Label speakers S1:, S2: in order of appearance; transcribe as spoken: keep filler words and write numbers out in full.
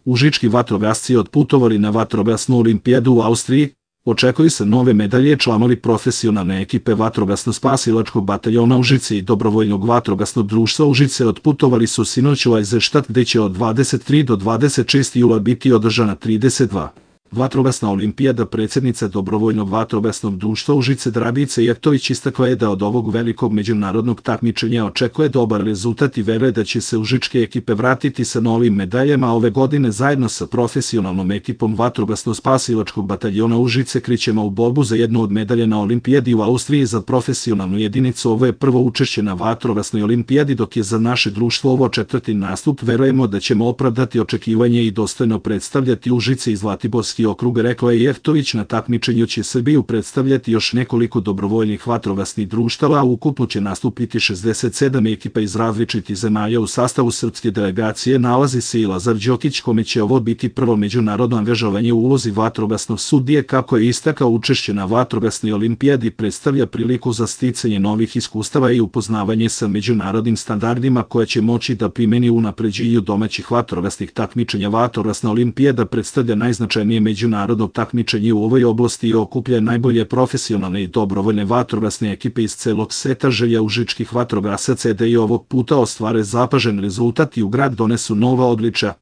S1: Užički vatrogasci otputovali na vatrogasnu olimpijadu u Austriji. Očekuju se nove medalje. Članovi profesionalne ekipe vatrogasno-spasilačkog bataljona Užice i dobrovoljnog vatrogasnog društva Užice otputovali su sinoć u Eisenstadt, gde će od dvadeset tri do dvadeset šestog jula biti održana trideset dva. Vatrogasna olimpijada. Predsjednica dobrovoljnog vatrogasnog društva Užice Dragica Jeftović istakla je da od ovog velikog međunarodnog takmičenja očekuje dobar rezultat i veruje da će se užičke ekipe vratiti sa novim medaljama ove godine. Zajedno sa profesionalnom ekipom vatrogasno-spasilačkog bataljona Užice krećemo u borbu za jednu od medalja na olimpijadi u Austriji za profesionalnu jedinicu. Ovo je prvo učešće na vatrogasnoj olimpijadi, dok je za naše društvo ovo četvrti nastup. Verujemo da ćemo opravdati očekivanje i dostojno predstavljati Užice i Zlatiborski okrug, rekla je Jeftović. Na takmičenju će Srbiju predstavljati još nekoliko dobrovoljnih vatrogasnih društava, a ukupno će nastupiti šezdeset sedam ekipa iz različitih zemalja. U sastavu srpske delegacije nalazi se i Lazar Đokić, kome će ovo biti prvo međunarodno angažovanje u ulozi vatrogasnog sudije. Kako je istakao, učešće na vatrogasnoj olimpijadi predstavlja priliku za sticanje novih iskustava i upoznavanje sa međunarodnim standardima koje će moći da primeni u unapređenju domaćih vatrogasnih takmičenja. Vatrogasna olimpijada predstavlja najznačajnije međunarodno takmičenje u ovoj oblasti i okuplja najbolje profesionalne i dobrovoljne vatrogasne ekipe iz celog sveta. Želja užičkih vatrogasaca je da i ovog puta ostvare zapažen rezultat i u grad donesu nova odličja.